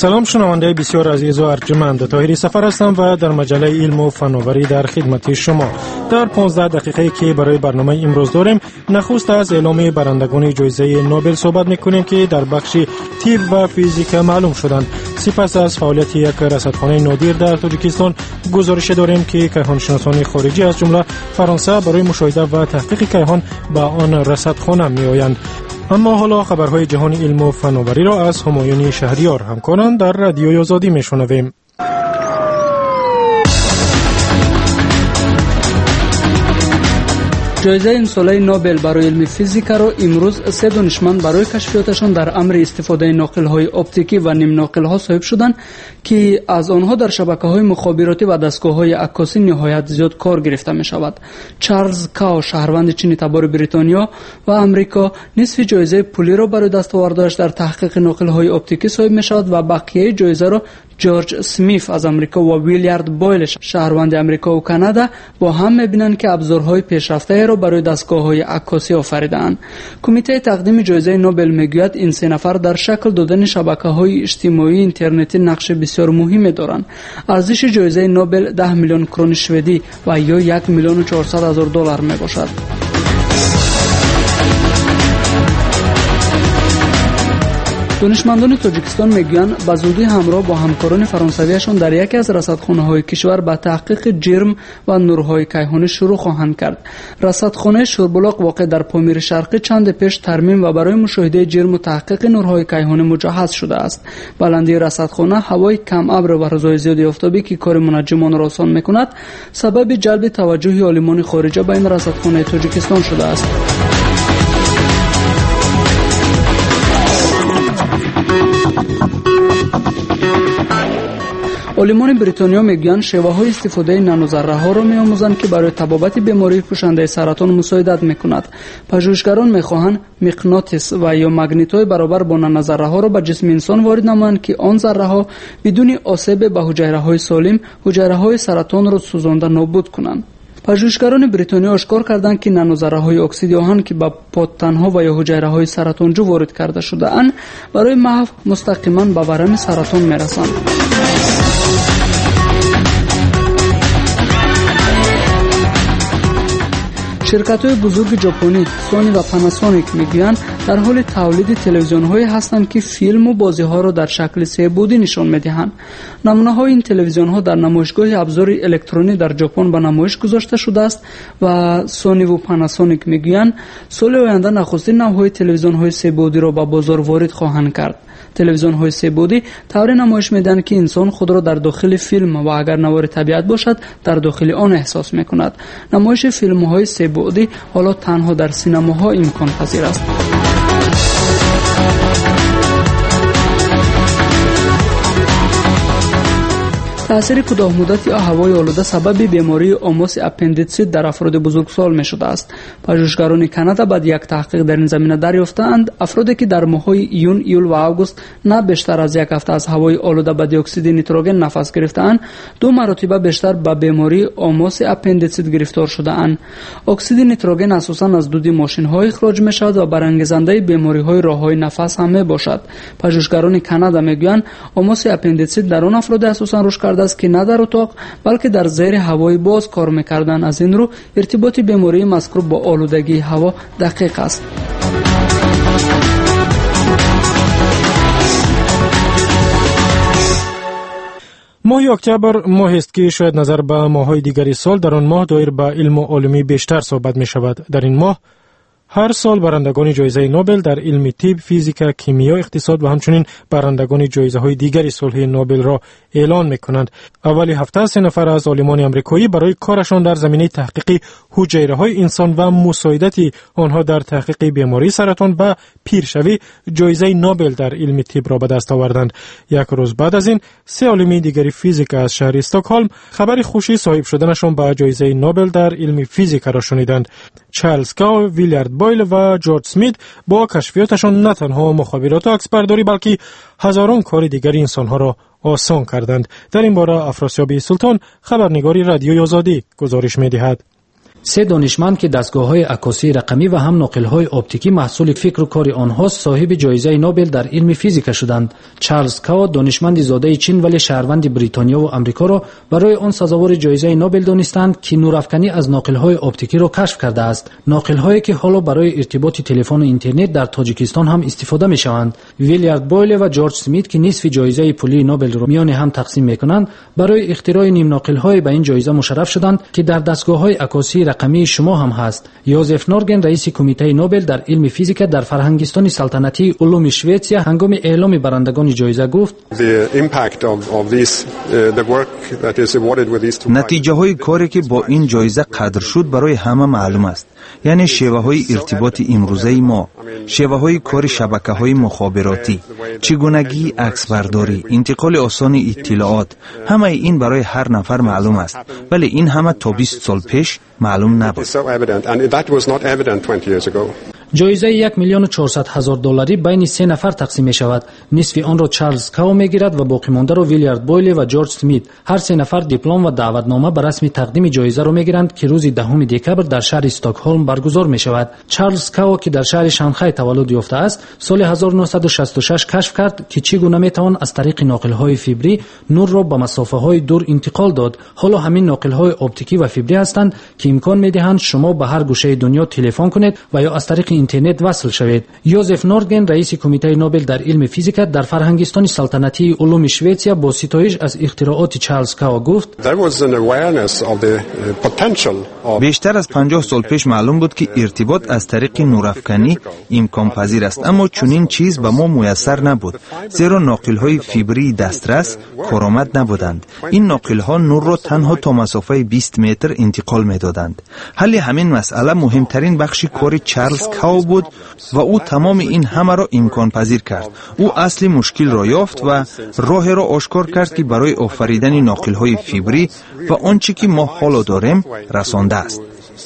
Салом, шунавандаи бисёр азизу арҷманд. Тоҳири Сафар ҳастам ва дар маҷаллаи илму фановарӣ дар хидмати шумо. Дар 15 дақиқае ки барои барномаи имрӯз дорем, нахуст аз эъломи барандагони ҷоизаи Нобел суҳбат мекунем, ки дар бахши тиб ва физика маълум шуданд. Сипас аз фаъолияти як расадхонаи нодир дар Тоҷикистон гузорише дорем, ки кайҳоншиносони хориҷӣ, аз ҷумла Фаронса, барои мушоҳида ва таҳқиқи кайҳон ба он расадхона меоянд. Аммо ҳоло хабарҳои ҷаҳони илму фановариро аз Ҳумоюни Шаҳриёр, ҳамкорам дар Радиои Озодӣ, мешунавем. Ҷоизаи имсолаи Нобел барои илми физикаро имрӯз се донишманд барои кашфиёташон дар амри истифодаи ноқилҳои оптикӣ ва нимноқилҳо соҳиб шуданд, ки аз онҳо дар шабакаҳои мухобиротӣ ва дастгоҳҳои аккосӣ ниҳоят зиёд кор гирифта мешавад. Чарлз Као, шаҳрванди чини табори Бритониё ва Амрико, нисфи ҷоизаи пулиро барои дастовардҳояш дар таҳқиқи ноқилҳои оптикӣ соҳиб мешавад ва бақияи ҷоизаро Ҷорҷ Смиф аз Амрико ва Вилярд Бойл, шаҳрванди Амрико ва Канада, бо ҳам мебинанд, ки абзорҳои пешрафтаеро барои дастгоҳҳои аккосӣ офаридаанд. Кумитаи тақдими ҷоизаи Нобел мегӯяд, ин се нафар дар шакл додани шабакаҳои иҷтимоии интернетӣ нақши бисёр муҳиме доранд. Арзиши ҷоизаи Нобел 10 миллион крони шведӣ ва ё 1 миллиону 400 ҳазор доллар мебошад. Донишмандони Тоҷикистон мегӯянд, ба зудӣ ҳамроҳ бо ҳамкорони фаронсавиашон дар яке аз расадхонаҳои кишвар ба таҳқиқи ҷирм ва нурҳои кайҳонӣ шурӯъ хоҳанд кард. Расадхонаи Шурбулоқ, воқеъ дар Помири Шарқӣ, чанде пеш тармим ва барои мушоҳидаи ҷирму таҳқиқи нурҳои кайҳонӣ муҷаҳҳаз шудааст. Баландии расадхона, ҳавои камабр ва рӯзҳои зиёди офтобӣ, ки кори мунаҷҷимонро осон мекунад, сабаби ҷалби таваҷҷӯҳи олимони хориҷа ба ин расадхонаи Тоҷикистон шудааст. Олимони Бритониё мегӯянд, шеваҳои истифодаи нанозарраҳоро меомӯзанд, ки барои табобати бемории пӯшандаи саратон мусоидат мекунад. Пажӯҳишгарон мехоҳанд миқнотис ва ё магнитҳои баробар бо нанозарраҳоро ба ҷисми инсон ворид намоянд, ки он зарраҳо бидуни осебе ба ҳуҷайраҳои солим ҳуҷайраҳои саратонро сӯзонда нобуд кунанд. Пажӯҳишгарони Бритониё ошкор карданд, ки нанозарраҳои оксиди оҳан, ки ба подтанҳо ва ё ҳуҷайраҳои саратонҷӯ ворид карда шудаанд, барои маҳв мустақиман ба варами саратон мерасанд. Ширкатҳои бузурги ҷопонӣ Сони ва Панасоник мегӯянд, дар ҳоли тавлиди телевизионҳое ҳастанд, ки филму бозиҳоро дар шакли себудӣ нишон медиҳанд. Намунаҳои ин телевизионҳо дар намоишгоҳи абзори электронӣ дар Ҷопон ба намоиш гузошта шудааст ва Сониву Панасоник мегӯянд, соли оянда нахустин навъҳои телевизионҳои себудиро ба бозор ворид хоҳанд кард. Телевизионҳои себудӣ тавре намоиш медиҳанд, ки инсон худро дар дохили филм ва агар навори табиат бошад, дар дохили он эҳсос мекунад. Намоиши филмҳои себудӣ ҳоло танҳо дар синамоҳо имконпазир аст. Таъсири кӯтоҳмуддати ҳавои олуда сабаби бемории омоси аппендитсит дар афроди бузургсол мешудааст. Пажӯҳишгарони Канада баъди як таҳқиқ дар ин замина дарёфтаанд, афроде ки дар моҳҳои июн, июл ва август на бештар аз як ҳафта аз ҳавои олуда ба диоксиди нитроген нафас гирифтаанд, ду маротиба бештар ба бемории омоси аппендитсит гирифтор шудаанд. Оксиди нитроген асосан аз дуди мошинҳо ихроҷ мешавад ва барангезандаи бемориҳои роҳҳои нафас ҳам мебошад. Пажӯҳишгарони Канада мегӯянд, омоси аппендитсит дар он афроде асосан рушд кардааст, ки на дар утоқ, балки дар зери ҳавои боз кор мекарданд. Аз ин рӯ иртиботи бемории мазкур бо олудагии ҳаво дақиқ аст. Моҳи октябр моҳест, ки шояд назар ба моҳҳои дигари сол дар он моҳ доир ба илму олимӣ бештар суҳбат мешавад. Дар ин моҳ ҳар сол барандагони ҷоизаи Нобел дар илми тиб, физика, кимиё, иқтисод ва ҳамчунин барандагони ҷоизаҳои дигари сулҳи Нобелро эълон мекунанд. Аввали ҳафта се нафар аз олимони амрикоӣ барои корашон дар заминаи таҳқиқи ҳуҷайраҳои инсон ва мусоидати онҳо дар таҳқиқи бемории саратон ва пиршавӣ ҷоизаи Нобел дар илми тибро ба даст оварданд. Як рӯз баъд аз ин се олими дигари физика аз шаҳри Стокҳолм хабари хуши соҳиб шуданашон ба ҷоизаи Нобел дар илми физикаро шуниданд. Чарлз Као, Вилярд Бойл ва Ҷорҷ Смит бо кашфиёташон на танҳо мухобироту аксбардорӣ, балки ҳазорон кори дигари инсонҳоро осон карданд. Дар ин бора Афросиёби Султон, хабарнигори Радиои Озодӣ, гузориш медиҳад. Се донишманд, ки дастгоҳҳои аккосии рақамӣ ва ҳам ноқилҳои оптикӣ маҳсули фикру кори онҳост, соҳиби ҷоизаи Нобел дар илми физика шуданд. Чарлз Као, донишманди зодаи Чин, вале шаҳрванди Бритониёву Амрикоро барои он сазовори ҷоизаи Нобел донистанд, ки нурафканӣ аз ноқилҳои оптикиро кашф кардааст. Ноқилҳое, ки ҳоло барои иртиботи телефону интернет дар Тоҷикистон ҳам истифода мешаванд. Вилярд Бойле ва Ҷорҷ Смит, ки нисфи ҷоизаи пулии Нобелро миёни ҳам тақсим мекунанд, барои ихтирои нимноқилҳое ба ин ҷоиза мушарраф шуданд, ки дар дастгоҳҳои аккосии рақамии шумо ҳам ҳаст. Йозеф Норген, раиси Кумитаи Нобел дар илми физика дар Фарҳангистони салтанатии улуми Шветсия, ҳангоми эъломи барандагони ҷоиза гуфт: Натиҷаҳои коре, ки бо ин ҷоиза қадр шуд, барои ҳама маълум аст, яъне шеваҳои иртиботи имрӯзаи мо, шеваҳои кори шабакаҳои мухобиротӣ, чӣ гунагии аксбардорӣ, интиқоли осони иттилоот. Ҳамаи ин барои ҳар нафар маълум аст, вале ин ҳама то 20 сол пеш маълум набуд. Ҷоизаи 1 400 000 долларӣ байни се нафар тақсим мешавад. Нисфи онро Чарлз Као мегирад ва боқимондаро Вилярд Бойле ва Ҷорҷ Смит. Ҳар се нафар диплом ва даъватнома ба расми тақдими ҷоизаро мегиранд, ки рӯзи 10 декабр дар шаҳри Стокҳолм баргузор мешавад. Чарлз Као, ки дар шаҳри Шанхай таваллуд ёфтааст, соли 1966 кашф кард, ки чӣ гуна метавон аз тариқи ноқилҳои фибрӣ нурро ба масофаҳои дур интиқол дод. Ҳоло ҳамин ноқилҳои оптикӣ ва фибрӣ ҳастанд, ки имкон медиҳанд шумо ба ҳар гӯшаи дунё телефон кунед ва ё аз тариқи интернет васл шавед. Йозеф Норген, раиси Кумитаи Нобел дар илми физика дар Фарҳангистони салтанатии улуми Шветсия, бо ситоиш аз ихтирооти Чарлз Као гуфт: Бештар аз 50 сол пеш маълум буд, ки иртибот аз тариқи нурафканӣ имконпазир аст, аммо чунин чиз ба мо муяссар набуд, зеро ноқилҳои фибрии дастрас коромад набуданд. Ин ноқилҳо нурро танҳо то масофаи 20 метр интиқол медоданд. Ҳалли ҳамин масъала муҳимтарин бахши кори Чарлз Као буд ва ӯ тамоми ин ҳамаро имконпазир кард. Ӯ асли мушкилро ёфт ва роҳеро ошкор кард, ки барои офаридани ноқилҳои фибрӣ ва он чӣ ки мо ҳоло дорем расондааст.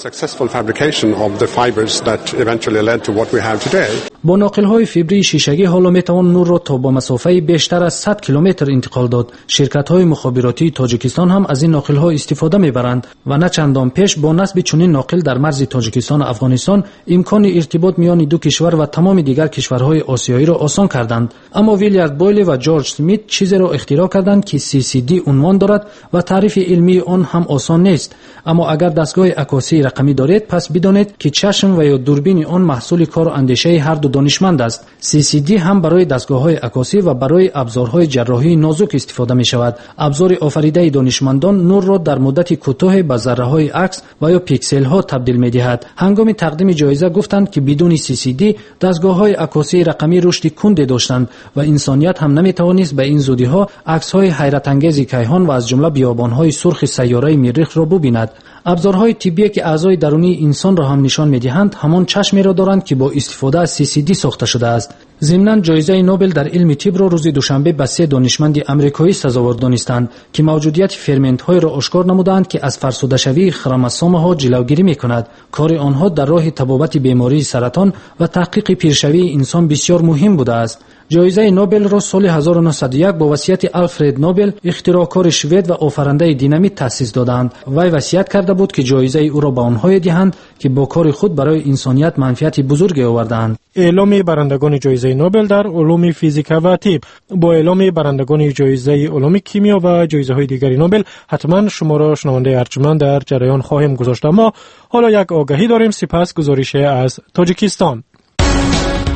Successful fabrication of the fibers that eventually led to what we have today. Бо ноқилҳои фибрии шишагӣ ҳоло метавон нурро то ба масофаи бештар аз 100 километр интиқол дод. Ширкатҳои мухобиротии Тоҷикистон ҳам аз ин ноқилҳо истифода мебаранд ва на чандон пеш бо насби чунин ноқил дар марзи Тоҷикистону Афғонистон имкони иртибот миёни ду кишвар ва тамоми дигар кишварҳои осиёиро осон карданд. Аммо Вилярд Бойли ва Ҷорҷ Смит чизеро ихтироъ карданд, ки CCD унвон дорад ва таърифи илмии он ҳам осон нест. Аммо агар дастгоҳи аккосии рақамӣ доред, пас бидонед, ки чашм ва ё дурбини он маҳсули кору андешаи ҳарду донишманд аст. CCD ҳам барои дастгоҳҳои аккосӣ ва барои абзорҳои ҷарроҳии нозук истифода мешавад. Абзори офаридаи донишмандон нурро дар муддати кӯтоҳе ба зарраҳои акс ва ё пикселҳо табдил медиҳад. Ҳангоми тақдими ҷоиза гуфтанд, ки бидуни CCD дастгоҳҳои аккосии рақамӣ рушди кунде доштанд ва инсоният ҳам наметавонист ба ин зудиҳо аксҳои ҳайратангези кайҳон ва аз ҷумла биёбонҳои сурхи сайёраи Миррихро бубинад. Абзорҳои тиббие, ки аъзои дарунии инсонро ҳам нишон медиҳанд, ҳамон чашмеро доранд, ки бо истифода аз CCD сохта шудааст. Зимнан, ҷоизаи Нобел дар илми тибро рӯзи душанбе ба се донишманди амрикоӣ сазовор донистанд, ки мавҷудияти ферментҳоеро ошкор намудаанд, ки аз фарсудашавии хромосомаҳо ҷилавгирӣ мекунад. Кори онҳо дар роҳи табобати бемории саратон ва таҳқиқи пиршавии инсон бисёр муҳим будааст. Ҷоизаи Нобелро соли 1901 бо васияти Алфред Нобел, ихтироъкори швед ва офарандаи динамит, таъсис доданд. Вай васият карда буд, ки ҷоизаи ӯро ба онҳое диҳанд, ки бо кори худ барои инсоният манфиати бузурге овардаанд. Эъломи барандагони ҷоизаи Нобел дар улуми физика ва тиб. Бо эъломи барандагони ҷоизаи улуми кимиё ва ҷоизаҳои дигари Нобел ҳатман шуморо, шунавандаи арҷманд, дар ҷараён хоҳем гузошт. Аммо ҳоло як огаҳӣ дорем, сипас гузорише аз Тоҷикистон.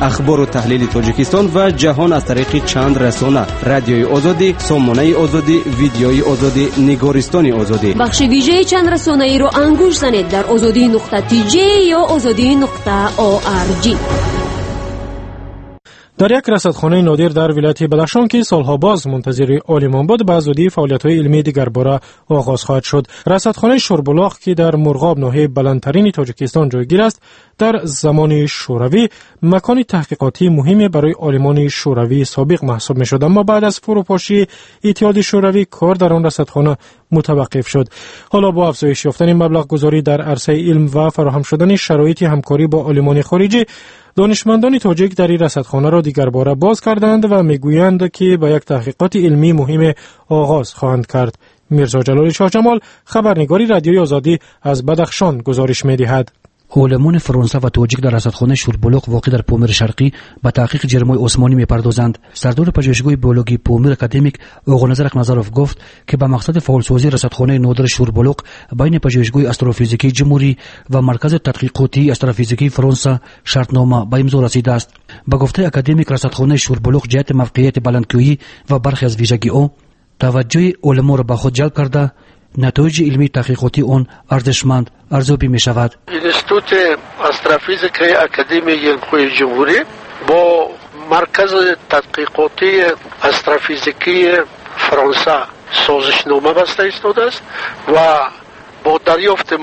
Ахбору таҳлили Тоҷикистон ва ҷаҳон аз тариқи чанд расона: Радиои Озодӣ, Сомонаи Озодӣ, Видеои Озодӣ, Нигористони Озодӣ. Бахши вижаи чанд расонаиро ангушт занед дар озодӣ.тж ё озодӣ.орг. Дар як расадхонаи нодир дар вилояти Бадахшон, ки солҳо боз мунтазири олимон буд, ба зудӣ фаъолиятҳои илмии дигарбора оғоз хоҳад шуд. Расадхонаи Шурбулоқ, ки дар Мурғоб, ноҳияи баландтарини Тоҷикистон, ҷойгир аст, дар замони Шӯравӣ макони таҳқиқотии муҳиме барои олимони шӯравии собиқ маҳсуб мешуд. Аммо баъд аз фурӯпошии Иттиҳоди Шӯравӣ кор дар он расадхона мутаваққиф шуд. Ҳоло бо афзоиш ёфтани маблағгузорӣ дар арсаи илм ва фароҳам шудани шароити ҳамкорӣ бо олимони хориҷӣ, донишмандони тоҷик дари расадхонаро дигарбора боз карданд ва мегӯянд, ки ба як таҳқиқоти илмии муҳиме оғоз хоҳанд кард. Мирзо Ҷалоли Шоҳҷамол, хабарнигори Радиои Озодӣ аз Бадахшон гузориш медиҳад. Олимони Фаронса ва тоҷик дар расадхонаи Шурбулоқ воқеъ дар Помири Шарқӣ ба таҳқиқи ҷирмҳои осмонӣ мепардозанд. Сардори пажӯҳишгоҳи биологии Помир академик Оғоназар Ақназаров гуфт, ки ба мақсади фаъолсозии расадхонаи нодири Шурбулоқ байни пажӯҳишгоҳи астрофизикии ҷумҳурӣ ва Маркази тадқиқотии астрофизикии Фаронса шартнома ба имзо расидааст. Ба гуфтаи академик, расадхонаи Шурбулоқ ҷиҳати мавқеияти баландкӯҳӣ ва бархе аз вижагиҳо таваҷҷӯҳи олимонро ба худ ҷалб карда, натоиҷи илмии таҳқиқотии он арзишманд арзёбӣ мешавад. Институти астрофизикаи Академияи илмҳои ҷумҳурӣ бо Маркази тадқиқотии астрофизикии Фаронса созишнома баста истодааст ва бо дарёфти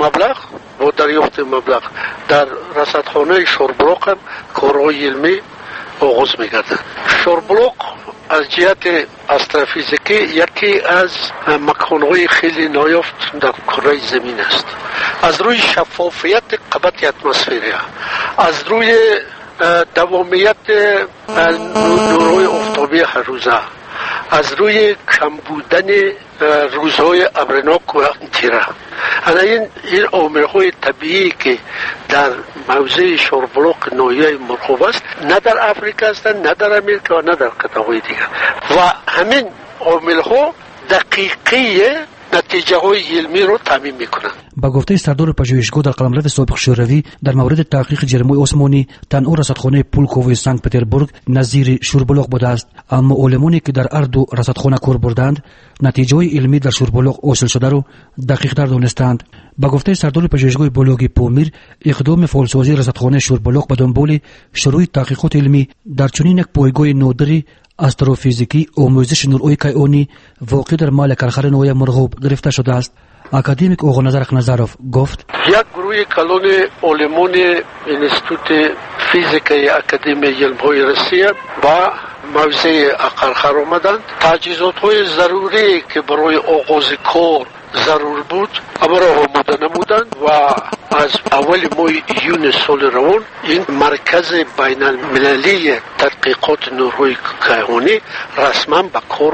маблағ дар расадхонаи Шорбулоқ ҳам корҳои илмӣ оғоз мегардад. Шорбулоқ аз ҷиҳати астрофизикӣ яке аз маконҳои хеле ноёфт дар кураи замин аст. Аз рӯи шаффофияти қабати атмосферия, аз рӯи давомияти нурҳои офтобии ҳаррӯза, аз рӯи кам будани рӯзҳои абринок ва тира. Ана ин омилҳои табиие ки дар мавзеи Шорбулоқ ноҳияи Мурғоб аст, на дар Африка ҳастанд, на дар Америка ва на дар қитъаҳои дигар. Ва ҳамин омилҳо дақиқии натиҷаҳои илмиро таъмин мекунанд. Ба гуфтаи сардори пажӯҳишгоҳ, дар қаламрави собиқ Шӯравӣ дар мавриди таҳқиқи ҷирмҳои осмонӣ танҳо расадхонаи Пулковои Санкт-Петербург назири Шурбулоқ будааст. Аммо олимоне ки дар ҳар ду расадхона кор бурданд, натиҷаҳои илмӣ дар Шурбулоқ ҳосилшударо дақиқтар донистаанд. Ба гуфтаи сардори пажӯҳишгоҳи биологии Помир, иқдоми фаъолсозии расадхонаи Шурбулоқ ба дунболи шурӯъи таҳқиқоти илмӣ дар чунин як пойгоҳи нодири астрофизикӣ омӯзиши нурҳои кайҳонӣ воқеъ дар маҳалли Кархари ноҳияи Мурғоб гирифта шудааст. Академик Оғоназар Ақназаров гуфт: як гурӯҳи калони олимони Институти физикаи Академияи илмҳои Россия ба мавзеи Ақархар омаданд. Таҷҳизотҳои зарурие ки барои оғози кор зарур буд, ҳамаро омода намуданд ва аз аввали моҳи июни соли равон ин маркази байналмилалии тадқиқоти нурҳои кайҳонӣ расман ба кор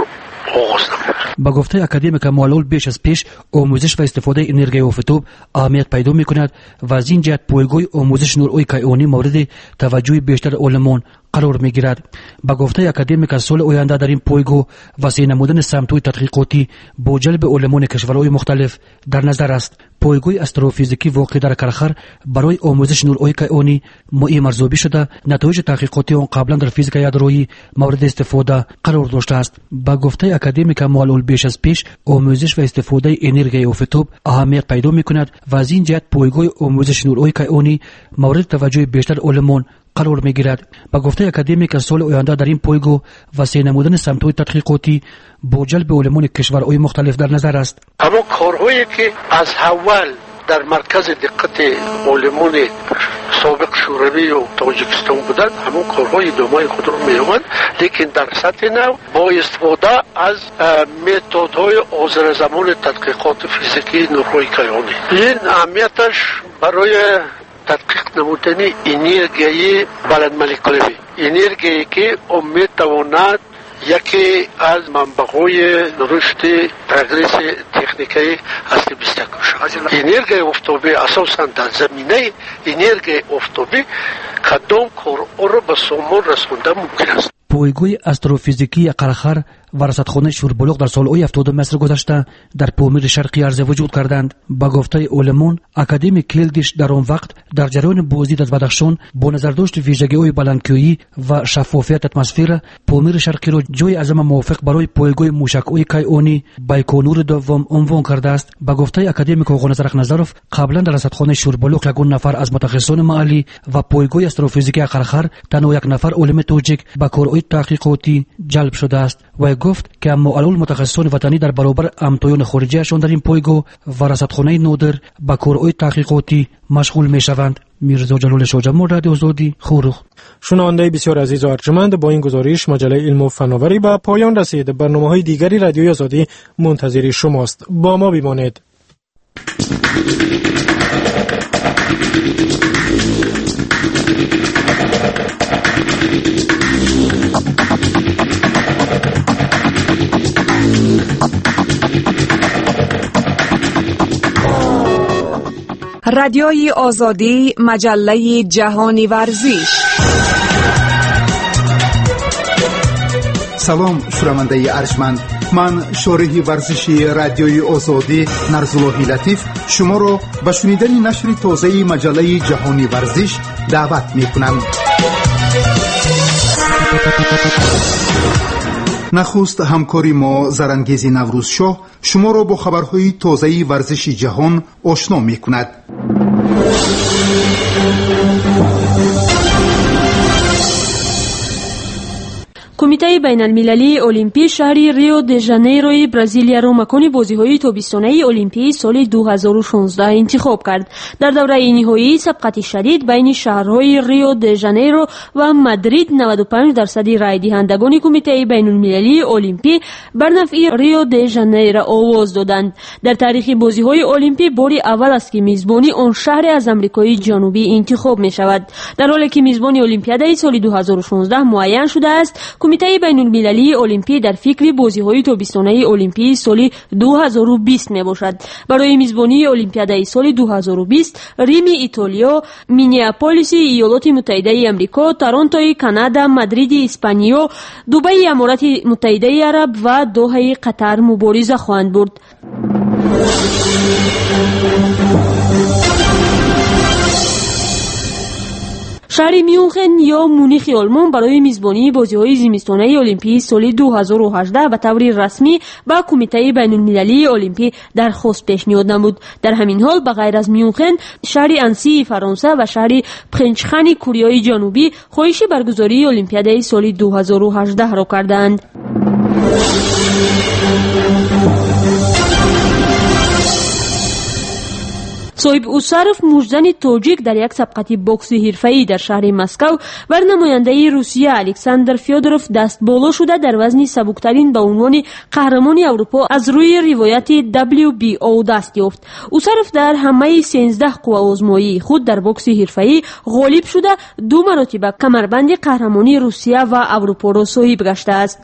оғоз намуд. Ба гуфтаи академика Муаллул, беш аз пеш омӯзиш ва истифодаи энергияи офтоб аҳамият пайдо мекунад ва аз ин ҷиҳат пойгоҳи омӯзиши нурҳои кайҳонӣ мавриди таваҷҷӯҳи бештари олимон қарор мегирад. Ба гуфтаи академика, соли оянда дар ин пойгоҳ васеъ намудани самтҳои тадқиқотӣ бо ҷалби олимони кишварҳои мухталиф дар назар аст. Пойгоҳи астрофизикӣ воқеъ дар Кархар барои омӯзиши нурҳои кайҳонӣ муҳим арзёбӣ шуда, натоиҷи таҳқиқотии он қаблан дар физикаи ядроӣ мавриди истифода қарор доштааст. Ба гуфтаи академика Муаллул, беш аз пеш омӯзиш ва истифодаи энергияи офтоб аҳамият пайдо мекунад ва аз ин ҷиҳат пойгоҳи омӯзиши нурҳои кайҳонӣ мавриди таваҷҷӯҳи бештари олимон қарор мегирад. Ба гуфтаи академика, соли оянда дар ин пойгоҳ васеъ намудани самтҳои тадқиқотӣ бо ҷалби олимони кишварҳои мухталиф дар назар аст. Ҳамон корҳое ки аз аввал дар маркази диққати олимони собиқ Шӯравию Тоҷикистон буданд, ҳамон корҳо идомаи худро меёбанд, лекин дар сатҳи нав бо истифода аз методҳои ҳозиразамони тадқиқоти физикии нурҳои кайҳонӣ. Ин аҳамияташ барои тадқиқ намудани энергияи баландмолекулавӣ, энергияе ки он метавонад яке аз манбаъҳои рушди прогресси техникаи асри 21 бошад. Энергияи офтобӣ асосан дар заминаи энергияи офтобӣ кадом корҳоро ба сомон расонда мумкин аст. Пойгоҳи астрофизикии Қархар ва расадхонаи Шурбулоқ дар солҳои 70 асри гузашта дар Помири Шарқӣ арзи вуҷуд карданд. Ба гуфтаи олимон, академик Келдиш дар он вақт дар ҷараёни боздид аз Бадахшон бо назардошти вижагиҳои баландкӯҳӣ ва шаффофияти атмосфера Помири Шарқиро ҷойи аз ҳама мувофиқ барои пойгоҳи мушакҳои кайҳонӣ Байконури дуввум унвон кардааст. Ба гуфтаи академик Оғоназар Ақназаров, қаблан дар расадхонаи Шурбулоқ ягон нафар аз мутахассисони маҳаллӣ ва пойгоҳи астрофизикии Қархар танҳо як нафар олими тоҷик ба корҳои таҳқиқотӣ ҷалб шудааст. Вай гуфт, ки аммо алул мутахассисони ватанӣ дар баробар ҳамтоёни хориҷиашон дар ин пойгоҳ ва расадхонаи нодир ба корҳои таҳқиқотӣ машғул мешаванд. Мирзо Ҷалоли Шоҳҷамол, Радиои Озодӣ, Хоруғ. Шунавандаи бисёр азизу арҷманд, бо ин гузориш маҷаллаи илму фановарӣ ба поён расид. Барномаҳои дигари Радиои Озодӣ мунтазири шумост. Бо мо бимонед. Радиои Озодӣ, маҷаллаи ҷаҳони варзиш. Салом, шунавандаи арҷманд. Ман, шореҳи варзиши Радиои Озодӣ Нарзуллоҳи Латиф, шуморо ба шунидани нашри тозаи маҷаллаи ҷаҳони варзиш даъват мекунам. Нахуст ҳамкори мо Зарангези Наврӯзшоҳ шуморо бо хабарҳои тозаи варзиши ҷаҳон ошно мекунад. Кумитаи байналмилалии олимпӣ шаҳри Рио де Жанейрои Бразилияро макони бозиҳои тобистонаи олимпии соли 2016 интихоб кард. Дар давраи ниҳоии сабқати шадид байни шаҳрҳои Рио де Жанейро ва Мадрид 95% райдиҳандагони Кумитаи байналмилалии олимпӣ бар нафъи Рио де Жанейро овоз доданд. Дар таърихи бозиҳои олимпӣ бори аввал аст, ки мизбони он шаҳре аз Амрикои Ҷанубӣ интихоб мешавад. Дар ҳоле ки мизбони Олимпиадаи соли 2016 муайян шудааст, Кумитаи байналмилалии олимпӣ дар фикри бозиҳои тобистонаи олимпии соли 2020 мебошад. Барои мизбонии Олимпиадаи соли 2020 Рими Итолиё, Миннеаполиси Иёлоти Муттаҳидаи Амрико, Торонтои Канада, Мадриди Испаниё, Дубаи Аморати Муттаҳидаи Араб ва Доҳаи Қатар мубориза хоҳанд бурд. Шаҳри Мюнхен ё Мунихи Олмон барои мизбонии бозиҳои зимистонаи олимпии соли 2018 ба таври расмӣ ба Кумитаи байналмилалии олимпӣ дархост пешниҳод намуд. Дар ҳамин ҳол, ба ғайр аз Мюнхен, шаҳри Ансии Фаронса ва шаҳри Пхенчхани Кореяи Ҷанубӣ хоҳиши баргузории Олимпиадаи соли 2018-ро кардаанд. Соҳиб Усаров, муждани тоҷик, дар як сабқати бокси ҳирфаӣ дар шаҳри Москав бар намояндаи Русия Александр Фёдоров дастболо шуда, дар вазни сабуктарин ба унвони қаҳрамони Аврупо аз рӯи ривояти WBO даст ёфт. Усаров дар ҳамаи 13 қувваозмоии худ дар бокси ҳирфаӣ ғолиб шуда, ду маротиба камарбанди қаҳрамонии Русия ва Аврупоро соҳиб гаштааст.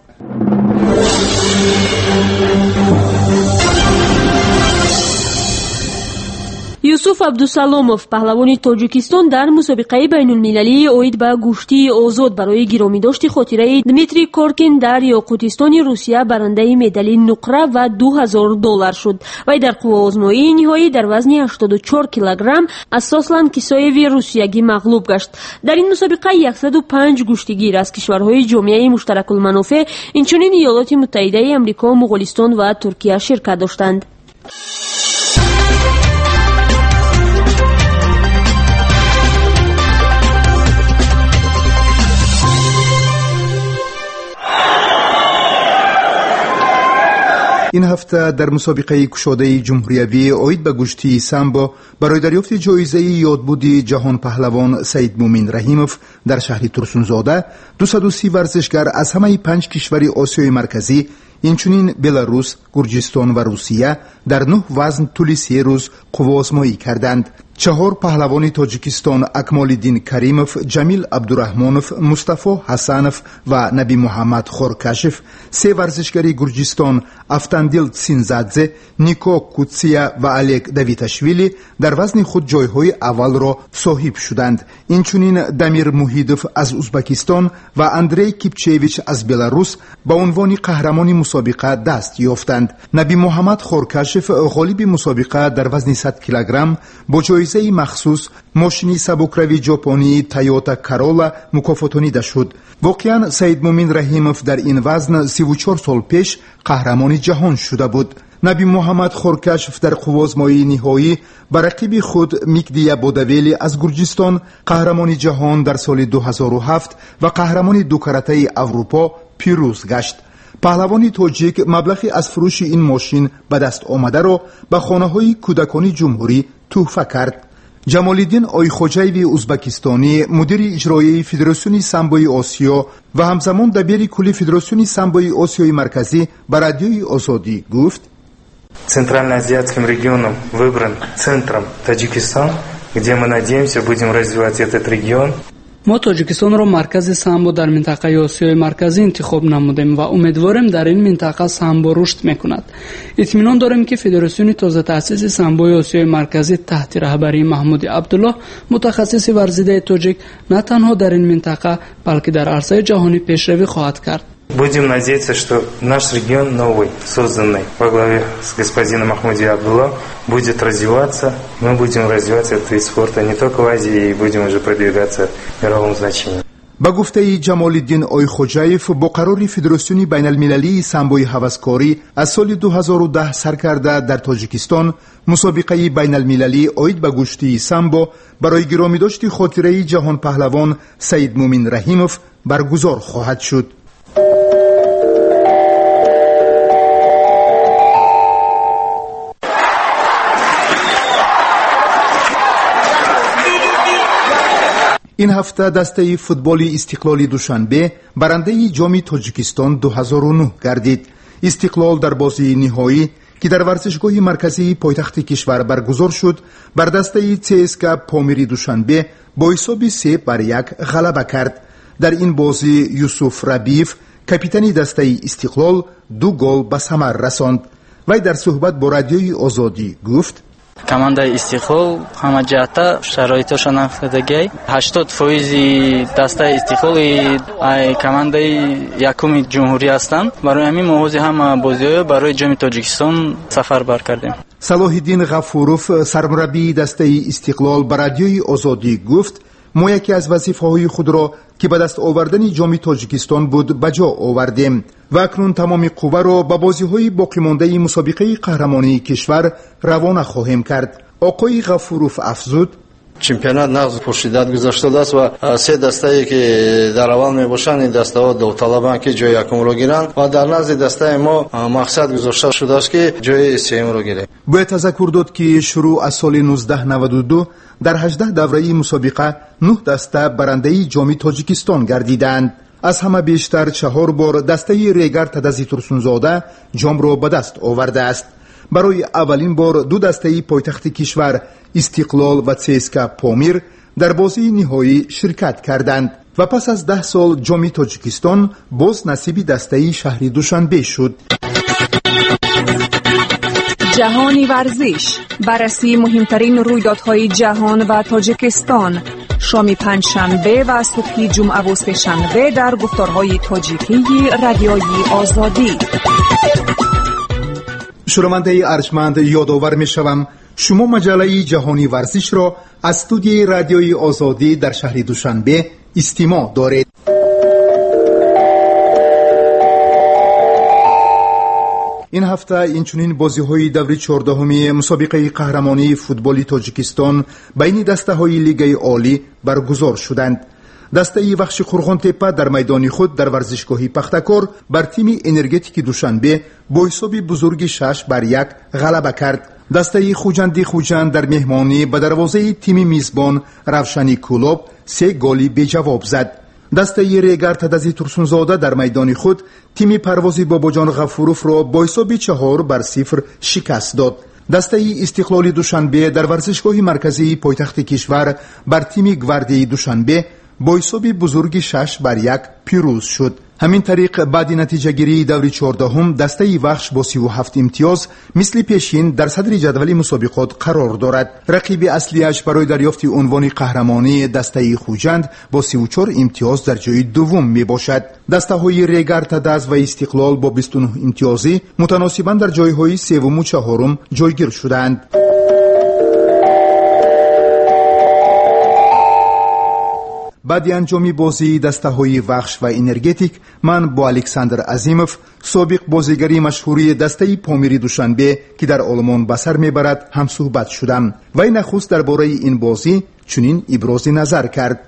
Юсуф Абдусаломов, паҳлавони Тоҷикистон, дар мусобиқаи байнулмилалии оид ба гӯштии озод барои гиромидошти хотираи Дмитрий Коркин дар Ёқутистони Русия барандаи медали нуқра ва 2000 доллар шуд. Вай дар қувваозмоии ниҳоӣ дар вазни 84 килограмм аз Сослан Кисоеви русиягӣ мағлуб гашт. Дар ин мусобиқа 105 гӯштигир аз кишварҳои Ҷомеаи Муштаракулманофеъ, инчунин Иёлоти Муттаҳидаи Амрико, Муғулистон ва Туркия ширкат доштанд. Ин ҳафта дар мусобиқаи кушодаи ҷумҳуриявӣ оид ба гӯштии самбо барои дарёфти ҷоизаи ёдбуди ҷаҳонпаҳлавон Саидмӯмин Раҳимов дар шаҳри Турсунзода 230 варзишгар аз ҳамаи панҷ кишвари Осиёи Марказӣ, инчунин Беларус, Гурҷистон ва Русия дар нӯҳ вазн тӯли 3 рӯз қувваозмоӣ карданд. Чаҳор паҳлавони Тоҷикистон, Акмолиддин Каримов, Ҷамил Абдураҳмонов, Мустафо Ҳасанов ва Набимуҳаммад Хоркашев, се варзишгари Гурҷистон, Автандил Синзадзе, Нико Кутсия ва Олег Давиташвили, дар вазни худ ҷойҳои аввалро соҳиб шуданд. Инчунин Дамир Муҳидов аз Узбакистон ва Андрей Кипчевич аз Беларус ба унвони қаҳрамони мусобиқа даст ёфтанд. Набимуҳаммад Хоркашев, ғолиби мусобиқа дар вазни 100 килограмм, бо ҷоизаи махсус, мошини сабукрави ҷопонии Тойота Карола, мукофотонида шуд. Воқеан, Саидмӯмин Раҳимов дар ин вазн 34 сол пеш қаҳрамони ҷаҳон шуда буд. Набимуҳаммад Хоркашев дар қувваозмоии ниҳоӣ ба рақиби худ Микдия Бодавели аз Гурҷистон, қаҳрамони ҷаҳон дар соли 2007 ва қаҳрамони дукаратаи Аврупо, пирӯз гашт. Паҳлавони тоҷик маблағи аз фурӯши ин мошин ба даст омадаро ба хонаҳои кӯдакони ҷумҳурӣ тӯҳфа кард. Ҷамолиддин Ойхоҷаеви узбакистонӣ, мудири иҷроияи Федератсиони самбои Осиё ва ҳамзамон дабири кулли Федератсиони самбои Осиёи Марказӣ, ба Радиои Озодӣ гуфт: Центральноазиатским регионом выбран центром Таджикистан, где мы надеемся, будем развивать этот регион. Мо Тоҷикистонро маркази самбо дар минтақаи Осиёи Марказӣ интихоб намудем ва умедворем, дар ин минтақа самбо рушд мекунад. Итминон дорем, ки Федератсиони тозатаъсиси самбои Осиёи Марказӣ таҳти раҳбарии Маҳмуди Абдуллоҳ, мутахассиси варзидаи тоҷик, на танҳо дар ин минтақа, балки дар арсаи ҷаҳонӣ пешравӣ хоҳад кард. Будем надеяться, что наш регион новый, созданный во главе с господином Махмуди Абдулла, будет развиваться. Мы будем развивать этот вид спорта не только в Азии, и будем уже продвигаться в мировом значении. Ба гуфтаи Ҷамолиддин Ойхоҷаев, бо қарори Федератсиони байналмилалии самбои ҳаваскорӣ аз соли 2010 сар карда дар Тоҷикистон мусобиқаи байналмилалӣ оид ба гӯштии самбо барои гиромидошти хотираи ҷаҳонпаҳлавон Саидмӯмин Раҳимов баргузор хоҳад шуд. Ин ҳафта дастаи футболи Истиқлоли Душанбе барандаи Ҷоми Тоҷикистон 2009 гардид. Истиқлол дар бозии ниҳоӣ, ки дар варзишгоҳи марказии пойтахти кишвар баргузор шуд, бар дастаи ЦСКА Помири Душанбе бо ҳисоби 3-1 ғалаба кард. Дар ин бозӣ Юсуф Рабиев, капитани дастаи Истиқлол, ду гол ба самар расонд. Вай дар суҳбат бо Радиои Озодӣ гуфт: Командаи Истиқлол ҳама ҷиҳата шароитоша нафдагиай. 80 фоизи дастаи Истиқлол командаи якуми ҷумҳурӣ ҳастанд. Барои ҳамин мо ҳози ҳама бозиҳоё барои Ҷоми Тоҷикистон сафарбар кардем. Салоҳиддин Ғафуров, сармураббии дастаи Истиқлол, ба Радиои Озодӣ гуфт: «Мо яке аз вазифаҳои худро, ки ба даст овардани Ҷоми Тоҷикистон буд, ба ҷо овардем ва акнун тамоми қувваро ба бозиҳои боқимондаи мусобиқаи қаҳрамонии кишвар равона хоҳем кард». Оқои Ғафуров афзуд: Чемпионат нағз, пуршиддат гузаштааст ва се дастае, ки дар аввал мебошанд, ин дастаҳо довталабанд, ки ҷои якумро гиранд, ва дар назди дастаи мо мақсад гузошта шудааст, ки ҷои сеюмро гирем. Бояд тазаккур дод, ки шурӯъ аз соли 1992 дар 18 давраи мусобиқа нӯҳ даста барандаи Ҷоми Тоҷикистон гардидаанд. Аз ҳама бештар чаҳор бор дастаи Регар Тадази Турсунзода ҷомро ба даст овардааст. Барои аввалин бор ду дастаи пойтахти кишвар, Истиқлол ва ЦСКА Помир, дар бозии ниҳоӣ ширкат карданд ва пас аз 10 сол Ҷоми Тоҷикистон боз насиби дастаи шаҳри Душанбе шуд. Ҷаҳони варзиш: баррасии муҳимтарин рӯйдодҳои ҷаҳон ва Тоҷикистон, шоми панҷшанбе ва субҳи ҷумъаву сешанбе дар гуфторҳои тоҷикии Радиои Озодӣ. Шунавандаи арҷманд, ёдовар мешавам, шумо маҷаллаи Ҷаҳони варзишро аз студияи Радиои Озодӣ дар шаҳри Душанбе истимоъ доред. Ин ҳафта инчунин бозиҳои даври 14-уми мусобиқаи қаҳрамонии футболи Тоҷикистон байни дастаҳои Лигаи Олӣ баргузор шуданд. Дастаи Вахши Қурғонтеппа дар майдони худ дар варзишгоҳи Пахтакор бар тими Энергетики Душанбе бо ҳисоби бузурги 6-1 ғалаба кард. Дастаи Хуҷанди Хуҷанд дар меҳмонӣ ба дарвозаи тими мизбон Равшани Кӯлоб се голи беҷавоб зад. Дастаи Регар Тадази Турсунзода дар майдони худ тими Парвози Бобоҷон Ғафуровро бо ҳисоби 4-0 шикаст дод. Дастаи Истиқлоли Душанбе дар варзишгоҳи марказии пойтахти кишвар бар тими Гвардияи Душанбе бо ҳисоби бузурги 6-1 пирӯз шуд. Ҳамин тариқ, баъди натиҷагирии даври 14-ум дастаи Вахш бо 37 имтиёз мисли пешин дар садри ҷадвали мусобиқот қарор дорад. Рақиби аслиаш барои дарёфти унвони қаҳрамонӣ, дастаи Хуҷанд, бо 34 имтиёз дар ҷои дуввум мебошад. Дастаҳои Регар Тадаз ва Истиқлол бо 29 имтиёзӣ мутаносибан дар ҷойҳои севуму чаҳорум ҷойгир шудаанд. Баъди анҷоми бозии дастаҳои Вахш ва Энергетик ман бо Александр Азимов, собиқ бозигари машҳури дастаи Помири Душанбе, ки дар Олмон ба сар мебарад, ҳамсӯҳбат шудам. Вай нахуст дар бораи ин бозӣ чунин ибрози назар кард: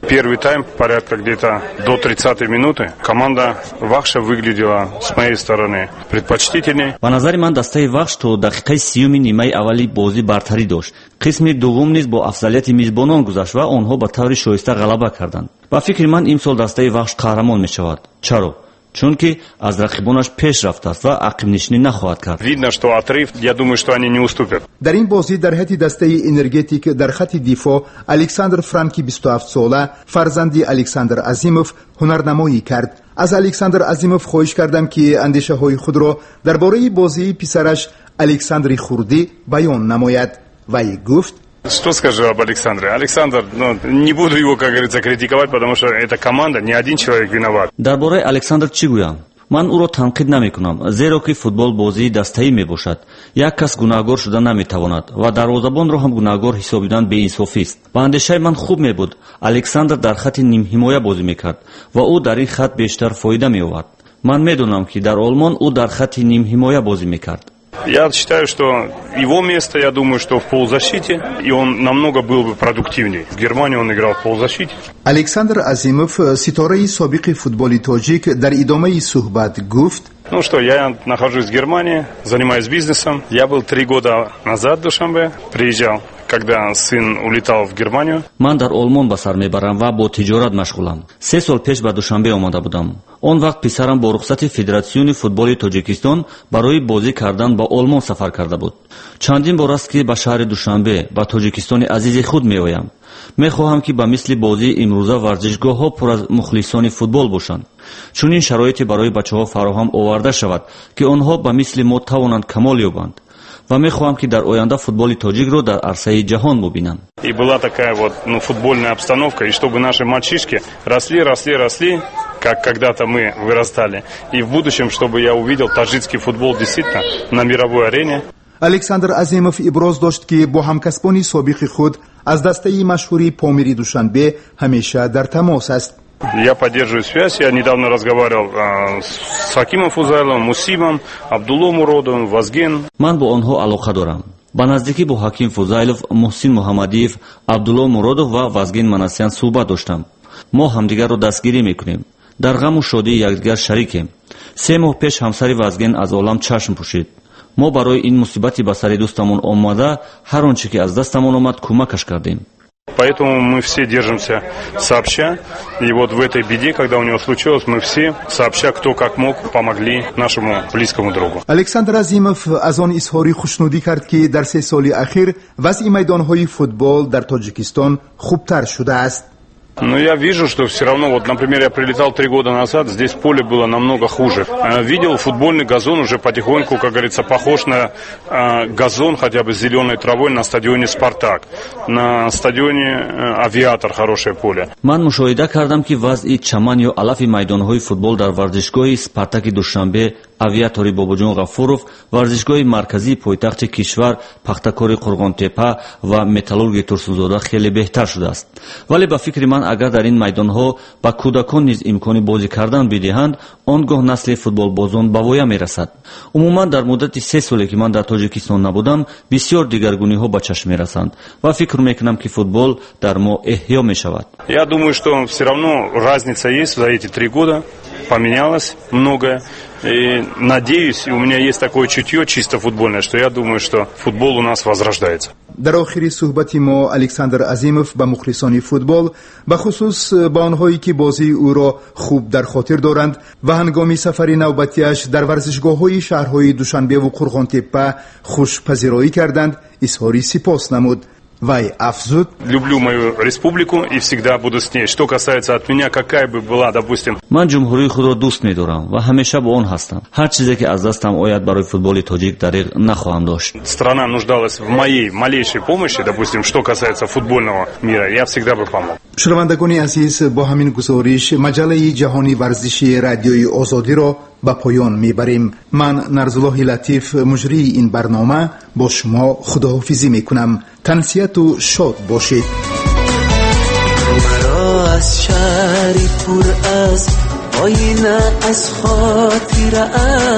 Первый тайм, порядка где-то до 30-й минуты, команда Вахша выглядела с моей стороны предпочтительней. Ба назари ман, дастаи Вахш то дақиқаи 30-уми нимаи аввали бозӣ бартарӣ дошт. Қисми дуввум низ бо афзалияти мизбонон гузашт ва онҳо ба таври шоиста ғалаба карданд. Ба фикри ман, имсол дастаи Вахш қаҳрамон мешавад. Чаро? Чунки аз рақибонаш пеш рафтааст ва ақибнишинӣ нахоҳад кард. Видно, что отрыв, я думаю, что они не уступят. Дар ин бозӣ дар ҳайати дастаи Энергетик дар хатти дифоъ Александр Франки 27-сола, фарзанди Александр Азимов, ҳунарнамоӣ кард. Аз Александр Азимов хоҳиш кардам, ки андешаҳои худро дар бораи бозии писараш Александри хурдӣ баён намояд. Вай гуфт: Что скажу об Александре? Александр, ну, не буду его, как говорится, критиковать, потому что эта команда, не один человек виноват. Дар бораи Александр чӣ гӯям? Ман ӯро танқид намекунам, зеро ки футбол бозии дастаӣ мебошад. Як кас гунаҳгор шуда наметавонад ва дарвозабонро ҳам гунаҳгор ҳисобидан беинсофист. Ба андешаи ман, хуб мебуд, Александр дар хатти нимҳимоя бозӣ мекард ва ӯ дар ин хат бештар фоида меовард. Ман медонам, ки дар Олмон ӯ дар хатти нимҳимоя бозӣ мекард. Я считаю, что его место, я думаю, что в полузащите, и он намного был бы продуктивнее. В Германии он играл в полузащите. Александр Азимов, ситораи собиқи футболи тоҷик, дар идомаи суҳбат гуфт: Ну что, я нахожусь в Германии, занимаюсь бизнесом. Я был 3 года назад в Душанбе, приезжал, когда сын улетал в Германию. Ман дар Олмон ба сар мебарам ва бо тиҷорат машғулам. 3 сол пеш ба Душанбе омада будам. Он вақт писарам бо рухсати Федератсиони футболи Тоҷикистон барои бозӣ кардан ба Олмон сафар карда буд. Чандин бор аст, ки ба шаҳри Душанбе, ба Тоҷикистони азизи худ меоям. Мехоҳам, ки ба мисли бозии имрӯза варзишгоҳҳо пур аз мухлисони футбол бошанд. Чунин шароите барои бачаҳо фароҳам оварда шавад, ки онҳо ба мисли мо тавонанд камол ёбанд, ва мехоҳам, ки дар оянда футболи тоҷикро дар арсаи ҷаҳон бубинам. И была такая вот, ну, футбольная обстановка, и чтобы наши мальчишки росли, росли, росли, как когда-то мы вырастали. И в будущем, чтобы я увидел таджикский футбол действительно на мировой арене. Александр Азимов иброз дошт, ки бо ҳамкасбони собиқи худ аз дастаи машҳури Помири Душанбе ҳамеша дар тамос аст. Я поддерживаю связь. Я недавно разговаривал с Хакимом Фузайловым, Мусимом, Абдулло Муродовым, Вазген. Ман бо онҳо алоқа дорам. Ба наздикӣ бо Ҳаким Фузайлов, Муҳсин Муҳаммадиев, Абдулло Муродов ва Вазгин Манасян суҳбат доштам. Мо ҳамдигарро дастгирӣ мекунем, дар ғаму шодии якдигар шарикем. 3 моҳ пеш ҳамсари Вазген аз олам чашм пӯшид. Мо барои ин мусибати ба сари дӯстамон омада ҳар он чӣ ки аз дастамон омад, кӯмакаш кардем. Поэтому мы все держимся сообща. И вот в этой беде, когда у него случилось, мы все сообща, кто как мог, помогли нашему близкому другу. Александр Азимов аз он изҳори хушнудӣ кард, ки дар 3 соли ахир вазъи майдонҳои футбол дар Тоҷикистон хубтар шудааст. Но я вижу, что все равно, вот, например, я прилетал 3 года назад, здесь поле было намного хуже. Видел, футбольный газон уже потихоньку, как говорится, похож на газон хотя бы с зеленой травой на стадионе «Спартак». На стадионе «Авиатор» хорошее поле. Ман мушоҳида кардам, ки вазъи чаман ё алафи майдонҳои футбол дар варзишгоҳи Спартаки Душанбе, Авиатори Бобоҷон Ғафуров, варзишгоҳи марказии пойтахти кишвар, Пахтакори Қурғонтепа ва Металлурги Турсунзода хеле беҳтар шудааст. Вале ба фикри ман, агар дар ин майдонҳо ба кӯдакон низ имкони бозӣ кардан бидиҳанд, он гоҳ насли футболбозон ба воя мерасад. Умуман, дар муддати 3 соле, ки ман дар Тоҷикистон набудам, бисёр дигаргуниҳо ба чашм мерасанд ва фикр мекунам, ки футбол дар мо эҳё мешавад. Я думаю, что все равно разница есть за эти 3 года, поменялось многое. И надеюсь, у меня есть такое чутье чисто футбольное, что я думаю, что футбол у нас возрождается. Дар охири суҳбати мо Александр Азимов ба мухлисони футбол, бахусус ба онҳое, ки бозии ӯро хуб дар хотир доранд ва ҳангоми сафари навбатиаш дар варзишгоҳҳои шаҳрҳои Душанбеву Қурғонтеппа хушпазироӣ карданд, изҳори сипос намуд. Вай афзуд: Люблю мою республику и всегда буду с ней. Что касается от меня, какая бы была, допустим... Ман ҷумҳурии худро дӯст медорам ва ҳамеша бо он ҳастам. Ҳар чизе ки аз дастам ояд, барои футболи тоҷик дареғ нахоҳам дошт. Страна нуждалась в моей малейшей помощи, допустим, что касается футбольного мира, я всегда бы помог. Шунавандагони азиз, бо ҳамин гузориш маҷаллаи ҷаҳони варзиши Радиои Озодиро ба поён мебарем. Ман, Нарзуллоҳи Латиф, муҷрии ин барнома, бо шумо худоҳофизӣ мекунам. Тансиҳату шод бошед. Маро аз шаҳри пур аз оина, аз хотира,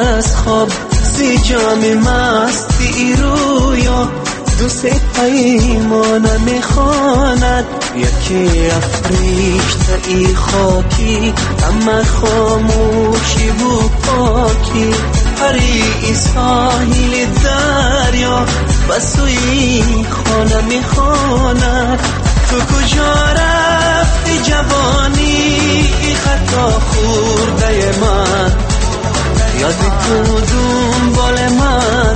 аз хоб, зи ҷоми масти рӯё ду се паймона мехонад. Яке африштаи хокӣ, ҳама хомӯшиву покӣ, парии соҳили дарё ба сӯи хона мехонад. Ту куҷо рафтӣ? رفتی جوانی خطا خورده من، یادی تو دنبال من،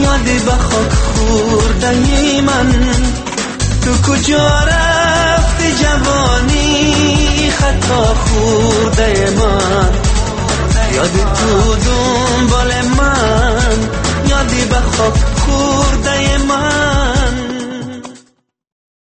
یادی به خاک خورده من. تو کجا رفتی جوانی خطا خورده من، یادی تو دنبال من، یادی به خاک خورده من.